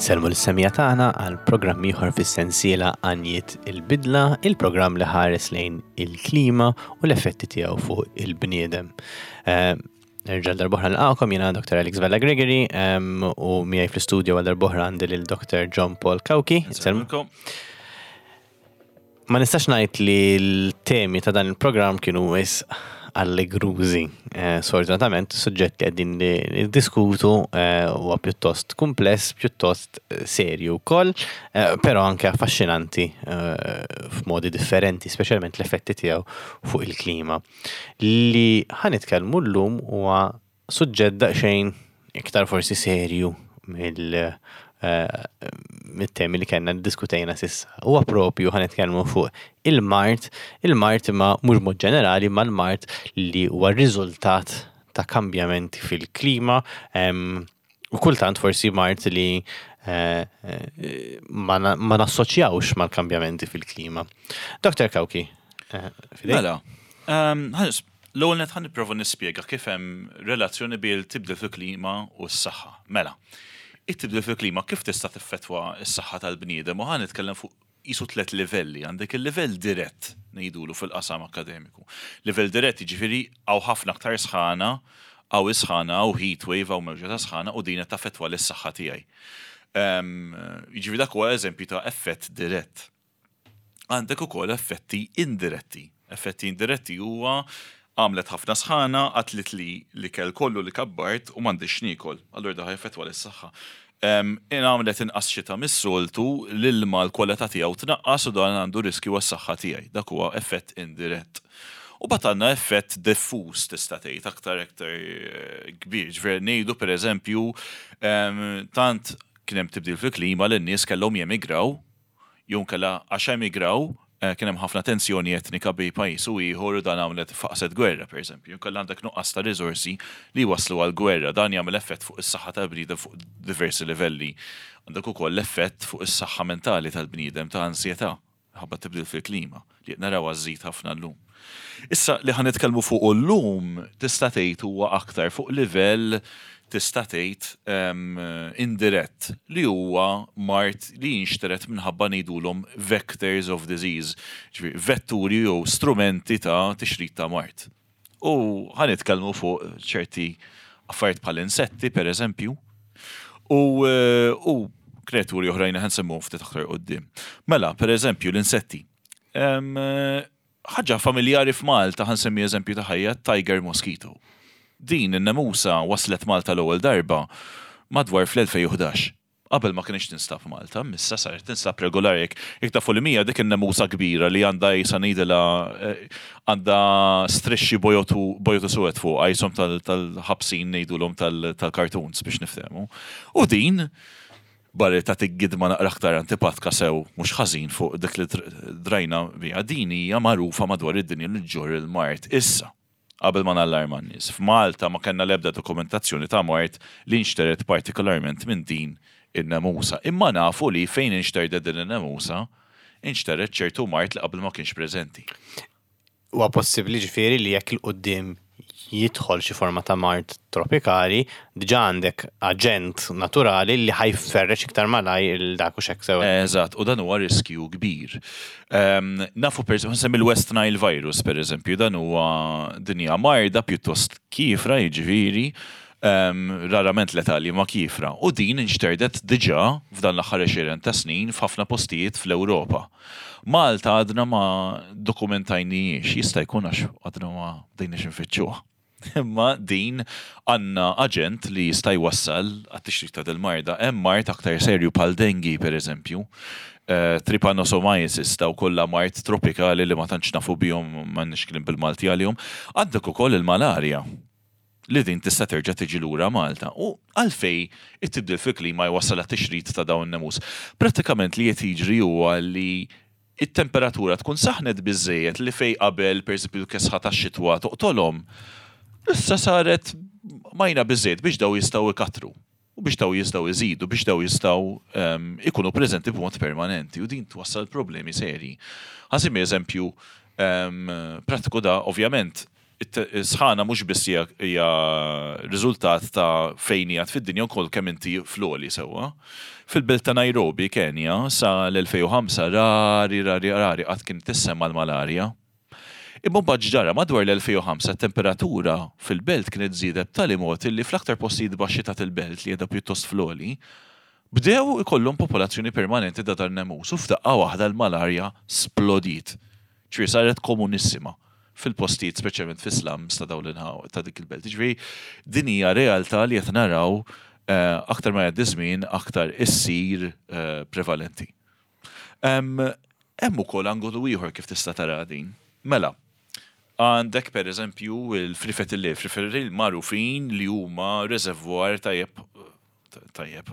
Insellmu lis-semmiegħa tagħna għal programm ieħor fis-sensiela Għanjiet il-Bidla, il-programm li ħares lejn il-klima u l-effetti tiegħu fuq il-bniedem. Eh, Nerġa' darbohra nilqakom jiena Dr. Alex Vella Gregory u miegħi fl-istudio għal darbohra għandi lil Dr. John Paul Cauchi. Insellmulkom. Ma nistax ngħid li l-temi ta' dan il-programm kienu wis allegrużi. Eh, sfortunatament, suġġett li qegħdin niddiskutu eh, huwa pjuttost kumpless, pjuttost eh, serju wkoll, però anke affaxxinanti f'modi differenti, speċjalment l-effetti tiegħu fuq il-klima. Li ħa nitkellmu llum huwa suġġett daqsxejn iktar forsi serju mill eh, mit-temi li kellna ddiskutejna s'issa. Huwa propju ħa nitkellmu fuq il-mard, il-mard imma mhux mod ġenerali, imma l-mard li huwa riżultat ta' kambjamenti fil-klima u kultant forsi mard li eh, eh, ma nassoċjawx mal-kambjamenti fil-klima. Dr. Cauchi, fidejk. Mela, L-ewwel nett ħa nipprova nispjega kif hemm relazzjoni bejn il-tibdil fil-klima u s-saħħa. Mela, it-tibdil fil-klima kif tista' tiffettwa s-saħħa tal-bniedem u ħa nitkellem fuq qisu tliet livelli. Għandek il-livell dirett ngħidulu fil-qasam akkademiku. Livell dirett jiġifieri hawn ħafna aktar sħana, hawn is-sħana, hawn heat wave, hawn mewġa ta' sħana u din qed taffettwa lis-saħħa tiegħi. Jiġifieri dak huwa eżempju ta' effett dirett. Għandek ukoll effetti indiretti. Effetti indiretti huwa għamlet ħafna sħana, qatlitli l-ikel kollu li kabbart u m'għandix x'niekol. Allura dan ħa jaffettwa lis-saħħa. Għamlet inqas xita mis-soltu, l-ilma l-kwalità tiegħu tnaqqas u dan għandu riskju għas-saħħa tiegħi. Dak huwa effett indirett. U mbagħad għandna effett diffuż tista' tgħid aktar aktar kbir. Ġifieri ngħidu pereżempju tant kien hemm tibdil fil-klima li n-nies kellhom jemigraw jew inkella għax emigraw kien hemm ħafna tensjoni etnika bejn pajjiż u ieħor u dan għamlet faqset gwerra, pereżempju. Jew inkella għandek nuqqas ta' riżorsi li jwasslu għal gwerra. Dan jagħmel effett fuq is-saħħa tal-bniedem fuq diversi livelli. Għandek ukoll l-effett fuq is-saħħa mentali tal-bniedem ta' ansjetà minħabba t-tibdil fil-klima li qed narawha żżid ħafna llum. Issa li ħa nitkellmu fuqu llum tista' tgħid huwa aktar fuq livell tista' tgħid indirett li huwa mard li jinxtered minħabba ngħidulhom vectors of disease, ġifieri vetturi jew strumenti ta' tixrid ta' mard. U ħa nitkellmu fuq ċerti affarijiet bħal insetti pereżempju u u kreaturi oħrajn li ħa nsemmuhom ftit aktar quddiem. Mela, pereżempju l-insetti. Ħaġa familjari f'Malta, ħa nsemmi eżempju ta' ħajja, tiger mosquito. Din in-nemusa waslet Malta l-ewwel darba madwar fl-2011. Qabel ma kinitx tinstab Malta, issa saret tinstab regolari. Jekk jekk tafu li mija dik in-nemusa kbira li għandha qisha ngħidilha għandha strixxi bojod u bojod u suwed fuqha qishom tal-ħabsin ngħidulhom tal-cartoons biex niftehmu. U din Barra li tagħtik gidma naqra aktar antipatka sew mhux ħażin fuq dik li drajna biha, din hija magħrufa madwar id-dinja li ġġorr il-mard. Issa, qabel ma nallarma n-nies, f'Malta ma kellna l-ebda dokumentazzjoni ta' mard li nxtered partikolarment minn din in-nemusa. Imma nafu li fejn inxterdet din in-nemusa, inxtered ċertu mard li qabel ma kienx preżenti. Huwa possibbli ġifieri li jekk 'il quddiem jidħol xi forma ta' mard tropikali, diġà għandek aġent naturali li ħa jferrex iktar malajr 'il dak hux hekk sew? Eżatt, u dan huwa riskju kbir. Nafu per eżempju, nsemmi l-West Nile virus per eżempju, dan huwa din hija marda pjuttost kiefra jiġifieri, rarament letali imma kiefra, u din inxterdet diġà f'dan l-aħħar għexieren ta' snin f'ħafna postijiet fl-Ewropa. Malta għadna ma dokumentajnijiex, jista' jkun għax għadna ma bdejniex infittxuha. Imma din għandna aġent li jista' jwassal għat-tixrid ta' dil-marda. Hemm mard aktar serju bħal dengue pereżempju, trypanosomiasis, dawn kollha mard tropikali li ma tantx nafu bihom, m'għandniex kliem bil-Malti għalihom. Għandek ukoll il-malarja. li din tista' terġa' tiġi lura Malta u għalfejn it-tibdil fil-klima jwassal għat-tixrid ta' dawn in-nemus. Prattikament li qed jiġri huwa li t-temperatura tkun saħnet biżżejjed li fejn qabel pereżempju l-kesħa tax-xitwa toqtolhom, issa saret majna biżżejjed biex dawn jistgħu jkattru u biex dawn jistgħu jżidu, biex dawn jistgħu jkunu preżenti b'mod permanenti u din twassal problemi serji. Ħa nsemmi eżempju prattiku da ovvjament. Is-sħana mhux biss hija riżultat ta' fejn qiegħed fid-dinja wkoll kemm inti fl-għoli sewwa. Fil-belt ta' Nairobi, Kenya, sa l-2005 rari, rari, rari qatt kienet tissemma l-malarja. Imma mbagħad x'ġara, madwar l-2005 t-temperatura fil-belt kienet żiedet b'tali mod illi fl-aktar postijiet baxxi ta' il-belt li qiegħda pjuttost fl-għoli, bdew ikollhom popolazzjoni permanenti ta' dan-nemus u f'daqqa waħda l-malarja splodiet. Ġifieri saret komunissima fil-postijiet speċjalment fis-slums ta' dawn l-inħawi ta' dik il-belt. Ġifieri din hija realtà li qed naraw aktar ma jgħaddi żmien aktar issir prevalenti. Hemm ukoll angolu ieħor kif tista' tara din. Mela, għandek pereżempju l-frifet il-lejl, frifet il-lejl magħrufin li huma reservoir tajjeb tajjeb,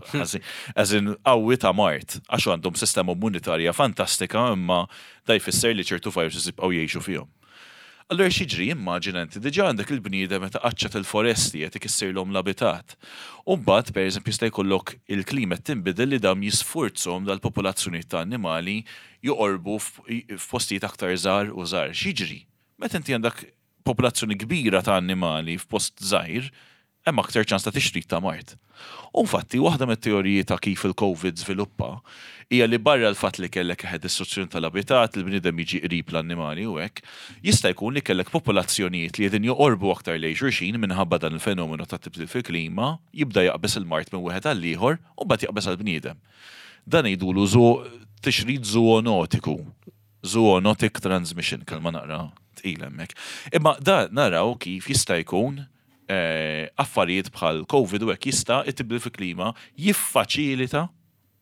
as in qawwi ta' mard, għax għandhom sistema immunitarja fantastika imma da jfisser li ċertu viruses jibqgħu jgħixu fihom. Allura x'jiġri, immaġina inti diġà għandek il-bniedem meta qaċċat il-foresti qed ikissirlhom l-abitat. U mbagħad pereżempju jista' jkollok il-klima qed tinbidel li dawn jisfurzhom dal-popolazzjonijiet ta' annimali joqorbu f'postijiet aktar żgħar u żgħar. X'jiġri? Meta inti għandek popolazzjoni kbira ta' annimali f'post żgħir, hemm aktar ċans ta' tixrid ta' mard. U infatti, waħda mit-teoriji ta' kif il-Covid żviluppa hija li barra l-fatt li kellek eħe distruzzjoni tal-abitat, il-bniedem jiġi qrib l-annimali u hekk, jista' jkun li kellek popolazzjonijiet li qegħdin joqorbu aktar lejn xulxin minħabba dan il-fenomenu ta' tibdil fil-klima, jibda jaqbeż il-mard minn wieħed għall-ieħor u mbagħad jaqbeż għall-bniedem. Dan ngħidulu tixrid żoonotiku. Zoonotic transmission, kelma naqra tqila hemmhekk. Imma da naraw kif jista' jkun eh, affarijiet bħal COVID u hekk jista' it-tibdil fil-klima jiffaċilita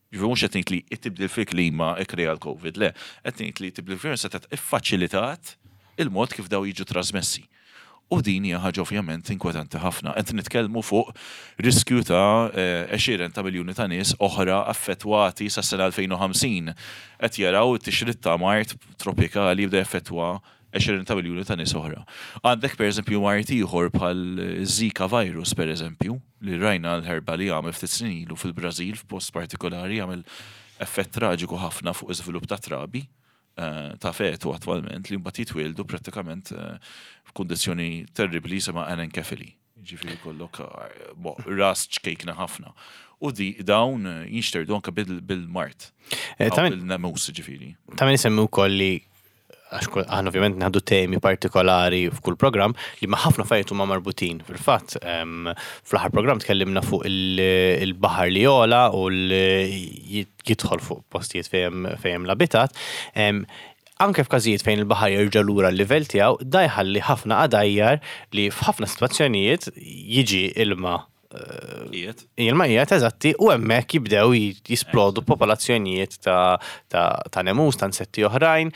Ġifieri mhux qed ngħid li t-tibdil fil-klima ikkrea l-COVID, le, qed ngħid li t-tibdil fil-klima setgħet iffaċilitat il-mod kif daw jiġu trasmessi. U din hija ħaġa ovvjament inkwetanti ħafna. Qed nitkellmu fuq riskju ta' għexieren ta' miljuni ta' nies oħra affettwati sas-sena 2050. Qed jaraw it-tixrid ta' mard tropikali jibda jaffettwa għexieren ta' miljuni ta' nies oħra. Għandek pereżempju mard ieħor bħal Zika virus pereżempju, li rajna l-ħerba li għamel ftit snin ilu fil-Brażil f'post partikolari għamel effett traġiku ħafna fuq iżvilupp ta' trabi. Eh, ta' fetu attwalment li mbagħad jitwieldu prattikament eh, f'kundizzjoni terribbli jisimha anenkefili. Ġifieri kollok eh, ras ċkejkna ħafna. U di dawn jinxterdu anke bil-mart. Bil-nemus ġifieri. Ta' min isemmi wkoll li għax aħna ovvjament nħaddu temi partikolari f'kull programm li ma ħafna affarijiet huma marbutin. Fil-fatt, fl-aħħar programm tkellimna fuq il-baħar li jola u jidħol fuq postijiet fejn hemm l-abitat. Anke f'każijiet fejn il-baħar jerġa' lura l-livell tiegħu, da jħalli ħafna għadajjar li f'ħafna sitwazzjonijiet jiġi ilma Qiegħed. Ilma qiegħed eżatti u hemmhekk jibdew jisplodu popolazzjonijiet ta', ta, ta nemus, ta' insetti oħrajn.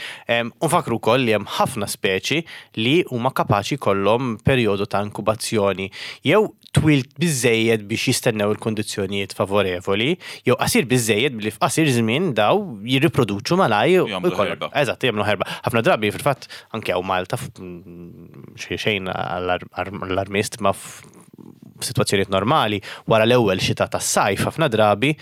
U nfakru wkoll li hemm ħafna speċi li huma kapaċi jkollhom perjodu ta' inkubazzjoni jew twil biżżejjed biex jistennew il-kundizzjonijiet favorevoli, jew qasir biżżejjed billi f'qasir żmien daw jirriproduċu malajr u Jagħmlu ħerba. Eżatt, jagħmlu ħerba. Ħafna drabi fil-fatt anke hawn Malta xejn xejn allarmist ma f'sitwazzjonijiet normali wara l-ewwel xita tas-sajf ħafna drabi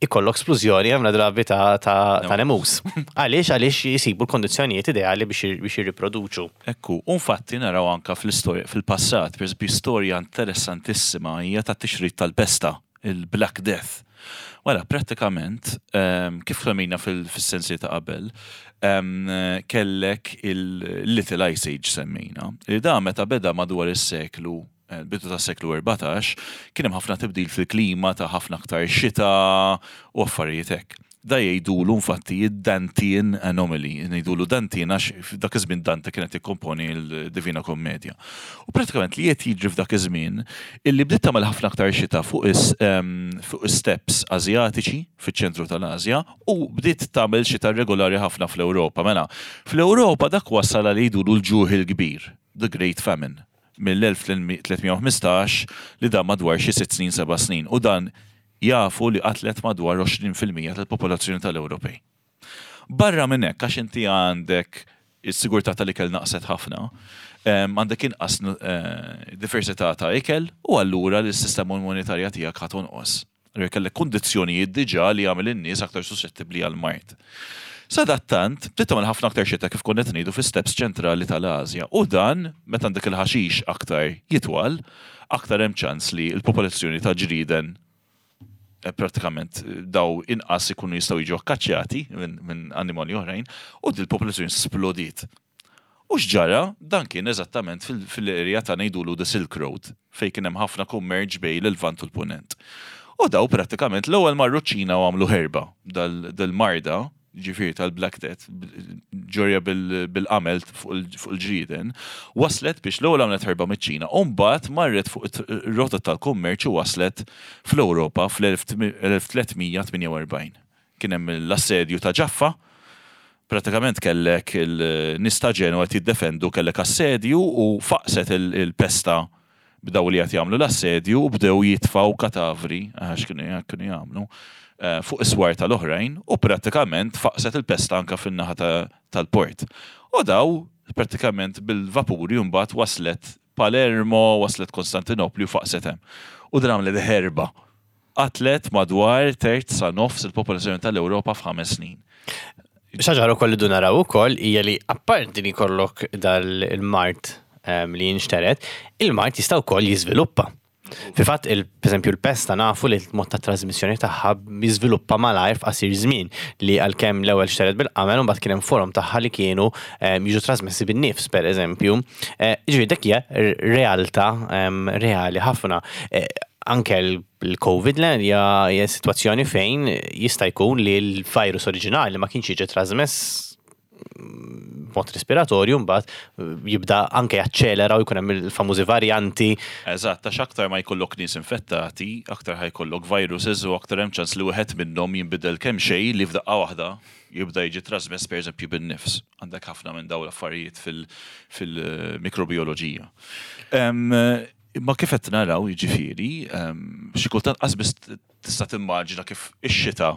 ikollok splużjoni ħafna drabi ta', ta, ta nemus. Għaliex għaliex jisibu l-kondizzjonijiet ideali biex biex jirriproduċu. Ekku, u infatti naraw anka fl-istorja fil-passat, pereżempju storja interessantissima hija tat-tixrid tal-pesta, il-Black Death. Wara, prattikament, ehm, kif semmejna fis-sensi ta' qabel, ehm, kellek il-Little Ice Age semmejna, li da meta beda madwar is-seklu bidu tas-seklu 14, kien hemm ħafna tibdil fil-klima ta' ħafna aktar xita u affarijiet hekk. Da jgħidulu infatti id-Dantean Anomaly, ngħidulu Dantean għax dak iż-żmien Dante kien qed jikkomponi l-Divina Commedia. U pratikament li qed jiġri f'dak iż-żmien illi bdiet tagħmel ħafna aktar xita fuq is-steppes Asjatiċi fiċ-ċentru tal-Asja u bdiet tagħmel xita regolari ħafna fl-Ewropa. Mela, fl-Ewropa dak wassal għal jgħidulu l-ġuħ il-kbir, the Great Famine. mill-1315 li dam madwar xi sitt snin seba' snin u dan jafu li qatlet madwar 20% tal-popolazzjoni tal-Ewropej. Barra minn hekk għax inti għandek is-sigurtà tal-ikel naqset ħafna, għandek inqas diversità ta' ikel u allura l-sistema immunitarja tiegħek ħa tonqos. Allura kellek kundizzjonijiet diġà li jagħmel in-nies aktar suxxettibbli għall-mard. Sadattant, bdiet tagħmel ħafna aktar xita kif konna qed ngħidu fis-steppes ċentrali tal-Asja u dan, meta għandek il-ħaxix aktar jitwal, aktar hemm ċans li l-popolazzjoni ta' ġrieden prattikament daw inqas ikunu jistgħu jiġu akkaċċjati minn annimali oħrajn u dil-popolazzjoni splodiet. U x'ġara? Dan kien eżattament fil-area ta' ngħidulu the Silk Road, fejn kien hemm ħafna kummerċ bejn l-Lvant u l-Punent. U daw prattikament l-ewwel marru ċ-Ċina u għamlu ħerba dal-marda, ġifieri tal-Black Death, ġorja bil-qamel fuq il-ġrieden, waslet biex l-ewwel għamlet ħerba miċ-Ċina u mbagħad marret fuq ir-rotot tal-kummerċ u waslet fl-Ewropa fl-1348. Kien hemm l-assedju ta' Ġaffa, pratikament kellek il-nies ta' Ġenwa qed jiddefendu, kellek assedju u faqset il-pesta b'daw li qed jagħmlu l-assedju u bdew jitfgħu katavri, għax kienu kienu jagħmlu, fuq is-swar tal-oħrajn u prattikament faqset il-pesta anke fin-naħa tal-port. U daw prattikament bil-vapuri mbagħad waslet Palermo, waslet Konstantinopli u faqset hemm. U din għamlet ħerba. Qatlet madwar terz sa nofs il-popolazzjoni tal-Ewropa f'ħames snin. Xi ħaġa ukoll li naraw ukoll hija li apparti li jkollok dal-mard li jinxtered, il-mard jista' wkoll jiżviluppa. Fil-fatt, pereżempju l-pesta nafu li l-mod ta' trasmissjoni tagħha jiżviluppa malajr f'qasir żmien li għalkemm l-ewwel xtered bil-qamel u mbagħad kien hemm forom tagħha li kienu jiġu trasmessi bin-nifs pereżempju. Ġifieri dik hija realtà reali ħafna. Anke l-Covid le hija sitwazzjoni fejn jista' jkun li l-virus oriġinali ma kienx jiġi trasmess b'mod respiratorju mbagħad jibda anke jaċċelera u jkun hemm il-famużi varjanti. Eżatt, għax aktar ma jkollok nies infettati, aktar ħa jkollok viruses u aktar hemm ċans li wieħed minnhom jinbidel kemm xejn li f'daqqa waħda jibda jiġi trasmess pereżempju bin-nifs. Għandek ħafna minn dawn l-affarijiet fil-mikrobioloġija. Imma kif qed naraw, jiġifieri, xi kultant qas biss tista' timmaġina kif ix-xita,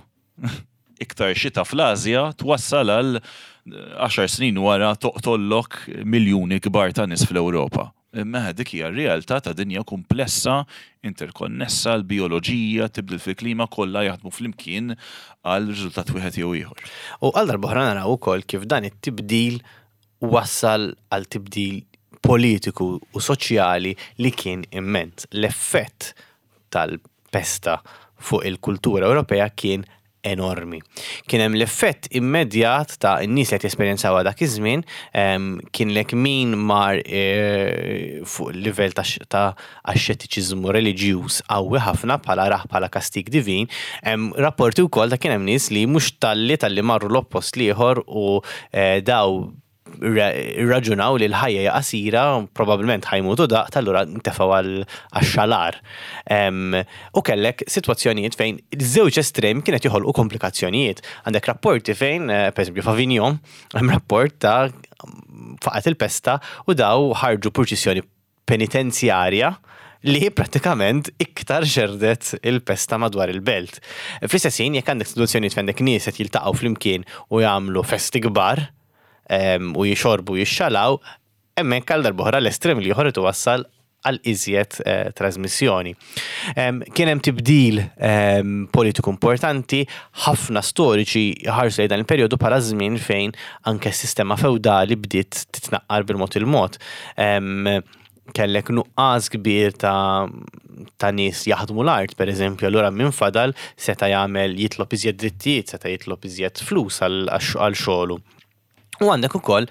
iktar xita fl-Asja twassal għal għaxar snin wara toqtollok miljuni kbar ta' nies fl-Ewropa. Imma dik hija r-realtà ta' dinja kumplessa, interkonnessa, l-bijoloġija, tibdil fil-klima kollha jaħdmu flimkien għal riżultat wieħed jew ieħor. U għal darb'oħra naraw ukoll kif dan it-tibdil wassal għal tibdil politiku u soċjali li kien immens. L-effett tal-pesta fuq il-kultura Ewropea kien enormi. Kien hemm l-effett immedjat ta' n-nies li qed jesperjenzawha dak iż-żmien, kien lek min mar fuq livell ta' axxetiċiżmu reliġjuż qawwi ħafna bħala rah bħala kastig divin. Hemm rapporti wkoll ta' kien hemm nies li mhux talli talli marru l-oppost l-ieħor u daw irraġunaw li l-ħajja hija qasira, probabbilment ħa jmutu daqt, allura ntefgħu għax-xalar. U kellek sitwazzjonijiet fejn iż-żewġ estremi kienet joħolqu komplikazzjonijiet. Għandek rapporti fejn, pereżempju f'Avignon, hemm rapport ta' faqgħet il-pesta u daw ħarġu purċissjoni penitenzjarja li prattikament iktar xerdet il-pesta madwar il-belt. Fl-istess ħin, jekk għandek sitwazzjonijiet fejn għandek nies qed jiltaqgħu flimkien u jagħmlu festi kbar u jixorbu u jixxalaw, hemmhekk għal darb'oħra l-estrem l-ieħor qed iwassal għal iżjed trasmissjoni. Kien hemm tibdil politiku importanti, ħafna storiċi jħarsu lejn dan il-perjodu bħala żmien fejn anke s-sistema feudali bdiet titnaqqar bil-mod il-mod. Kellek nuqqas kbir ta' ta' nies jaħdmu l-art, per eżempju, allura min fadal seta' jagħmel jitlob iżjed drittijiet, seta' jitlob iżjed flus għal xogħlu. U għandek ukoll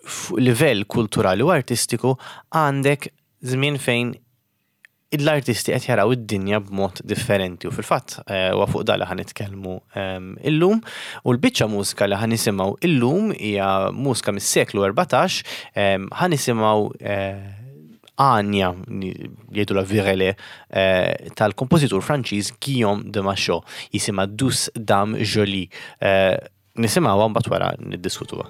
fuq livell kulturali u artistiku għandek żmien fejn l-artisti qed jaraw id-dinja b'mod differenti u fil-fatt huwa fuq dan li ħa nitkellmu illum u l-biċċa mużika li ħa nisimgħu illum hija mużika mis-seklu 14 ħa nisimgħu għanja jgħidulha virelé tal-kompożitur Franċiż Guillaume de Machaut jisimha Douce Dame Jolie. Nisimgħuha mbagħad wara niddiskutuha.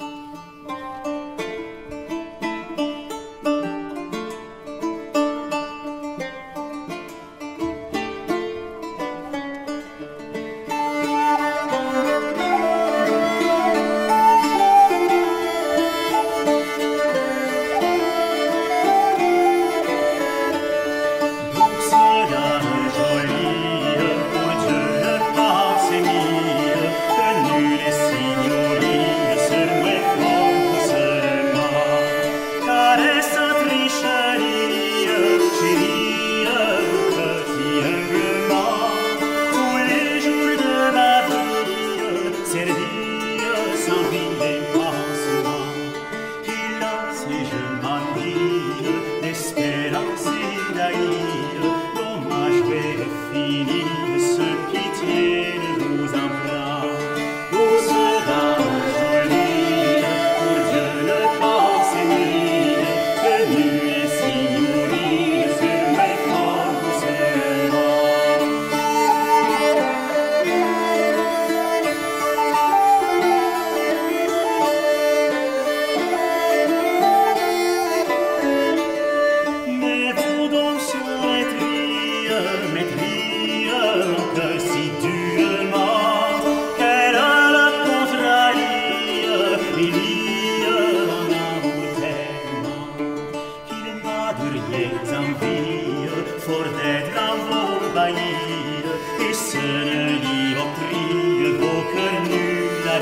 Et seule dioptrie vos cœurs nus la.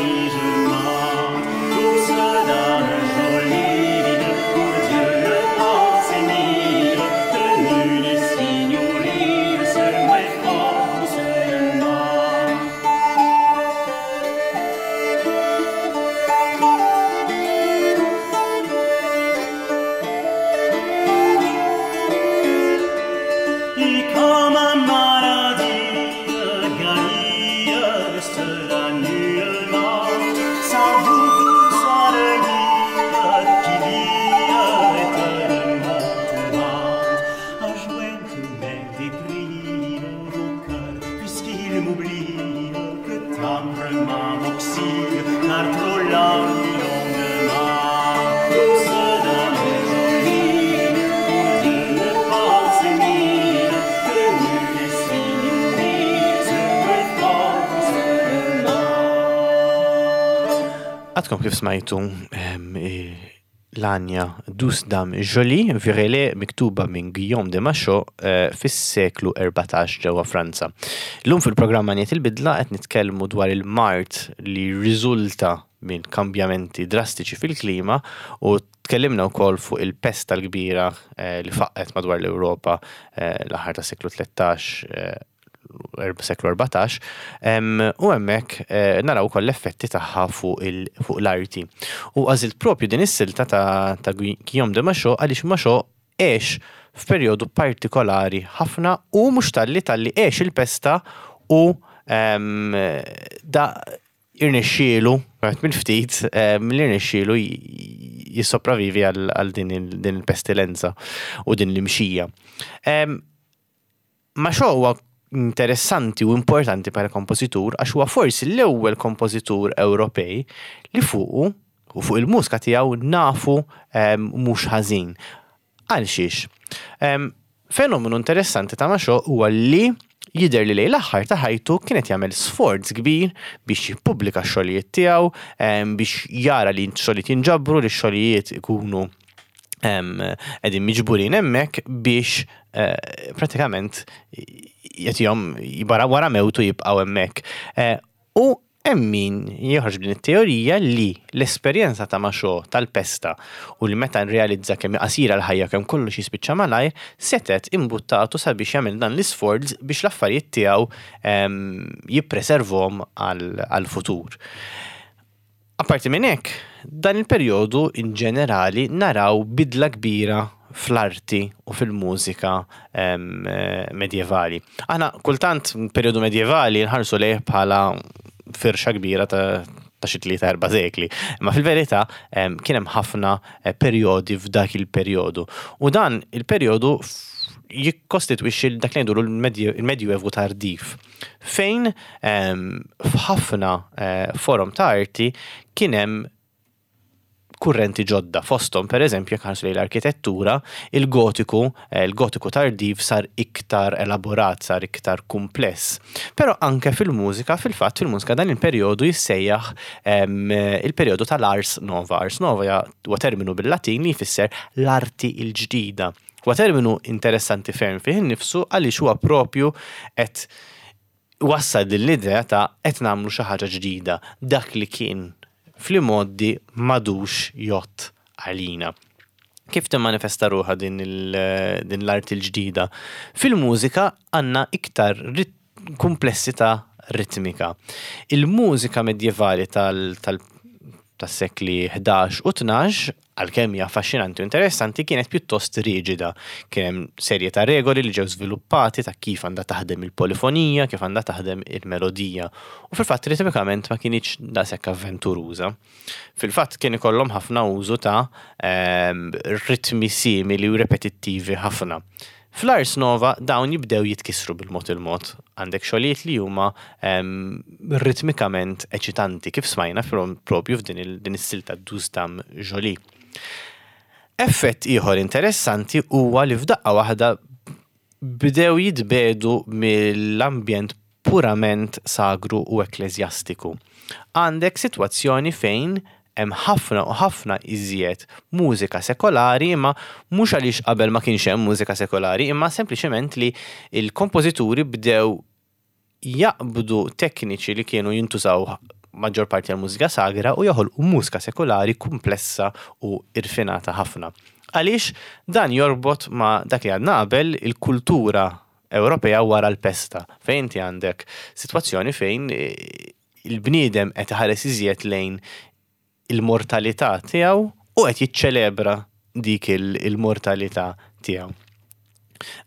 Douce dame jolie, pour Dieu le pensez de nulle signorie, seul moins fort seulement. Et comme un maladie guérie sereinement, sans vous douce allégurie qui vit éternellement tourmente, à joindre mes déprimes au cœur, puisqu'il m'oublie, que tendrement m'auxile, car trop languit longuement. Douce dame jolie, pour Dieu ne pensez mille, que nulle signorie se fort seulement. Għadkom kif smajtu l-għanja Douce Dame Jolie, Virelai miktuba minn Guillaume de Machaut fis-seklu 14 ġewwa Franza. Illum fil-programma Għanjiet il-Bidla qed nitkellmu dwar il-mard li rriżulta minn kambjamenti drastiċi fil-klima u tkellimna wkoll fuq il-pesta l-kbira li faqqet madwar l-Ewropa l-aħħar tas-seklu 13, seklu 14, u hemmhekk naraw ukoll l-effetti tagħha fuq l-arti. U għażilt propju din is-silta ta' Guillaume de Machaut għaliex Machaut għex f'perjodu partikolari ħafna u mhux talli talli għex il-pesta u da irnexxielu, għet mill-ftit, li irnexxielu jissopravivi għal din il-pestilenza u din l-imxija. Machaut huwa interessanti u importanti bħala kompożitur għax huwa forsi l-ewwel kompożitur Ewropej li fuqu u fuq il-mużika tiegħu nafu mhux ħażin. Għal xiex? Fenomenu interessanti ta' Machaut huwa li jidher li lejn l-aħħar ta' ħajtu kienet jagħmel sforz kbir biex jippubblika x-xogħlijiet tiegħu, biex jara li x-xogħlijiet jinġabru, li x-xogħlijiet ikunu qegħdin miġburin hemmhekk biex pratikament jagħtihom wara mewtu jibqgħu hemmhekk. U hemm min joħroġ din it-teorija li l-esperjenza ta' Machaut tal-pesta u li meta nrealizza kemm qasira l-ħajja kemm kollox jispiċċa malajr, setet imbuttatu sabiex jagħmel dan l-isforz biex l-affarijiet tiegħu jippreservhom għall-futur. Apparti minn hekk, dan il-perjodu in ġenerali naraw bidla kbira fl-arti u fil-mużika medjevali. Aħna kultant perjodu medjevali nħarsu lejh bħala firxa kbira ta' xi 3-4 sekli. Imma fil-verità kien hemm ħafna perjodi f'dak il-perjodu. U dan il-perjodu jikkostitwixxi dak li ngħidulu il-Medjuevu tardiv, fejn f'ħafna forom ta' arti kien hemm kurrenti ġodda. Fosthom, per eżempju, jekk ħarsu lejn l-arkitettura, il-gotiku tardiv sar iktar elaborat, sar iktar kumpless. Però anke fil-mużika, fil-fatt fil-mużika dan il-perjodu jissejjaħ il-perjodu tal-Ars Nova. Ars Nova huwa terminu bil-Latin li jfisser l-arti il-ġdida. Huwa terminu interessanti ferm fih innifsu għaliex huwa propju qed wassal din l-idea ta' qed nagħmlu xi ħaġa ġdida, dak li kien fl-imgħoddi m'għadux jgħodd għalina. Kif timmanifesta ruħha din l-arti l-ġdida? Fil-mużika għandna iktar komplessità ritmika. Il-mużika medjevali tas-sekli 11 u 12, għalkemm hija affaxxinanti u interessanti, kienet pjuttost riġida. Kien hemm serje ta' regoli li ġew żviluppati ta' kif għandha taħdem il-polifonija, kif għandha taħdem il-melodija. U fil-fatt ritmikament ma kinitx daqshekk avventuruża. Fil-fatt kien ikollhom ħafna użu ta' ritmi simili u repetittivi ħafna. Fl-Ars Nova dawn jibdew jitkissru bil-mod il-mod. Għandek xogħlijiet li huma ritmikament eċitanti, kif smajna propju f'din din is-silta Douce Dame Jolie. Effett ieħor interessanti huwa li f'daqqa waħda bdew jitbedu mill-ambjent purament sagru u ekkleżjastiku. Għandek sitwazzjoni fejn hemm ħafna u ħafna iżjed mużika sekolari, imma mhux għaliex qabel ma kienx hemm mużika sekolari, imma sempliċement li il-kompożituri bdew jaqbdu tekniċi li kienu jintużaw maġġor parti għal mużika sagra u joħolqu mużika sekulari kumplessa u irfinata ħafna. Għaliex dan jorbot ma' dak li għadna qabel il-kultura Ewropea wara l-pesta, fejn inti għandek sitwazzjoni fejn il-bniedem qed iħares iżjed lejn il-mortalità tiegħu u qed jiċċelebra dik il-mortalità tiegħu.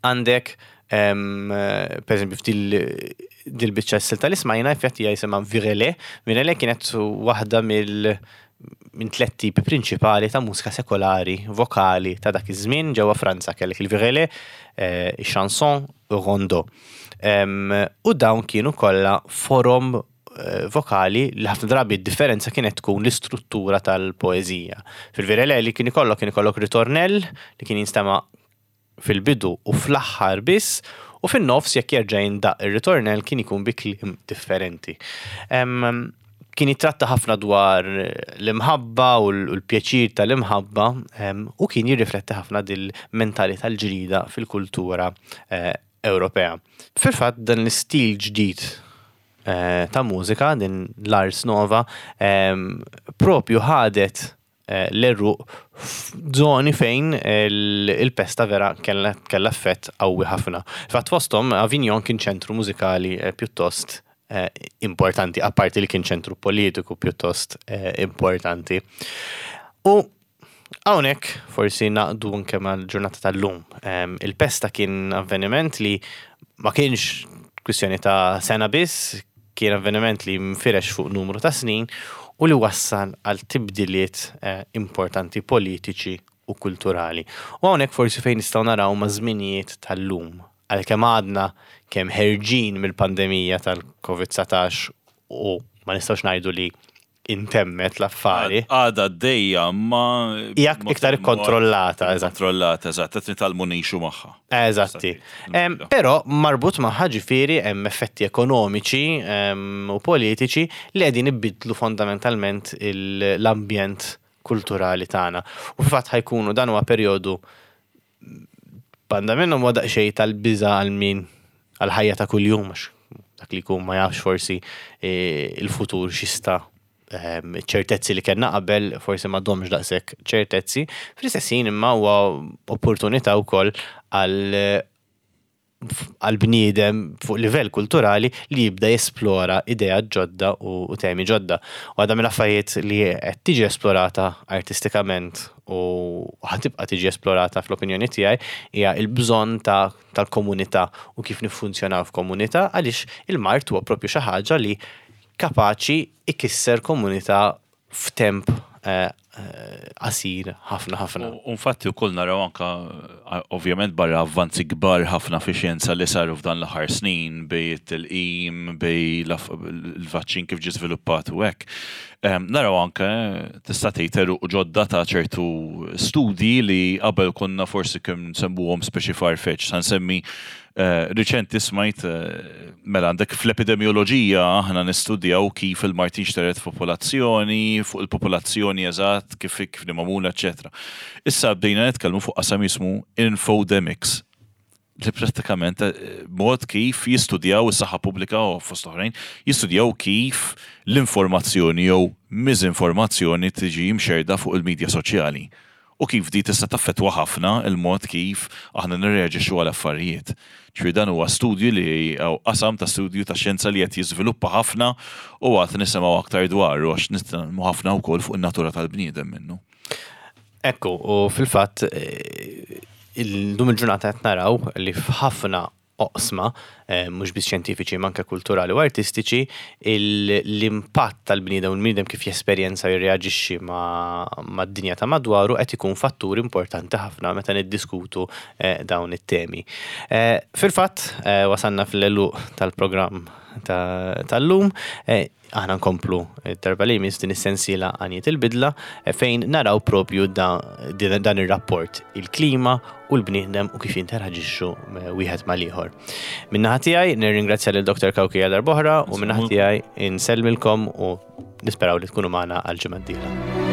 Għandek, per eżempju, f'dil biċċa s-silta li smajna, infatti jisimha Virelai. Virelai kienet waħda mill minn tlet tipi prinċipali ta' mużika sekolari, vokali ta' dak iż-żmien ġewwa Franza kellek il-Virelai, il-chanson, u rondo. U dawn kienu kollha forom vokali li ħafna drabi d-differenza kienet tkun l-istruttura tal-poeżija. Fil-Virelai li kien ikollok ritornell li kien jinstema' fil-bidu u fl-aħħar biss u fin-nofs jekk jerġa' jindaq ir-ritornell kien ikun bi kliem differenti. Kien jitratta ħafna dwar l-imħabba u l-pjaċir tal-imħabba u kien jirrifletti ħafna dil-mentalità l-ġdida fil-kultura Ewropea. Fil-fatt dan l-istil ġdid ta' mużika, din l-Ars Nova, propju ħadet l-għeruq f'żoni fejn il-pesta vera kellha effett qawwi ħafna. Fatt fosthom Avignon kien ċentru mużikali pjuttost importanti, apparti li kien ċentru politiku pjuttost importanti. U hawnhekk forsi naqdu anke mal-ġurnata tal-lum. Il-pesta kien avveniment li ma kienx kwistjoni ta' sena biss, kien avveniment li nfirex fuq numru ta' snin u li wassal għal tibdiliet importanti politiċi u kulturali. U hawnhekk forsi fejn nistgħu naraw ma' żminijiet tal-lum. Għalkemm għadna kemm ħerġin mill-pandemija tal-COVID-19 u ma nistgħux ngħidu li intemmet l-affari. Għada d-dejja ma. Hija iktar ikkontrollata, eżatt. Kontrollata, eżatt, qed nitgħallmu ngħixu magħha. Eżatti. Però marbut magħha ġifieri hemm effetti ekonomiċi u politiċi li qegħdin ibidlu fondamentalment l-ambjent kulturali tagħna. U fil-fatt ħa jkunu dan huwa perjodu banda minnhom huwa daqsxejn tal-biża' għal min għal-ħajja ta' kuljum għax dak li jkun ma jafx forsi il-futur x'jista' ċertezzi li kellna qabel forsi m'għadhomx daqshekk ċertezzi. Fl-istess ħin imma huwa opportunità wkoll għal bniedem fuq livell kulturali li jibda jesplora idea ġodda u temi ġodda. U għadha mill-affarijiet li qed tiġi esplorata artistikament u ħa tibqa' tiġi esplorata fl-opinjoni tiegħi hija l-bżonn tal-komunità u kif niffunzjonaw f'komunità għaliex il-mard huwa propju xi ħaġa li kapaċi ikisser komunità f'temp qasir ħafna ħafna. U infatti wkoll naraw anka ovvjament barra avvanzi kbar ħafna fi xjenza li saru f'dan l-aħħar snin bej it-tilqim, bej il-vaċċin kif ġie żviluppat u hekk. Naraw anke tista' tgħid għeruq ġodda ta' ċertu studji li qabel konna forsi kemm nsemmuhom speċi farfetch. Sa nsemmi riċenti smajt mela għandek fl-epidemioloġija aħna nistudjaw kif il-mard jinxtered f'popolazzjoni, fuq il-popolazzjoni eżatt, kif kif magħmula, eċetera. Issa bdejna nitkellmu fuq qasam jismu infodemics li prattikament mod kif jistudjaw is-saħħa pubblika u fost oħrajn, jistudjaw kif l-informazzjoni jew miżinformazzjoni tiġi mxerda fuq il-medja soċjali. U kif di tista' taffettwa ħafna il-mod kif aħna nirreaġixxu għal affarijiet. Ġifieri dan huwa studju li qasam ta' studju ta' xjenza li qed jiżviluppa ħafna u għad nisimgħu aktar dwaru għax nitkellmu ħafna wkoll fuq in-natura tal-bniedem minnu. Ekku, u fil-fatt illum il-ġurnata qed naraw li f'ħafna oqsma, mhux biss xjentifiċi ma anke kulturali u artistiċi, l-impatt tal-bniedem u l-bniedem kif jesperjenza u jirreaġixxi mad-dinja ta' madwaru qed ikun fattur importanti ħafna meta niddiskutu dawn it-temi. Fil-fatt, wasalna fl-għeluq tal-programm tal-lum, aħna nkomplu darba li jmiss din is-sensiela għanijiet il-bidla fejn naraw propju dan ir-rapport il-klima u l-bniedem u kif jinteraġixxu wieħed mal-ieħor. Min-naħa tiegħi nirringrazzja lil Dr. Cauchi darb'oħra u min-naħa tiegħi insellmilkom u nisperaw li tkunu magħna għal ġimgħa d-dieħla.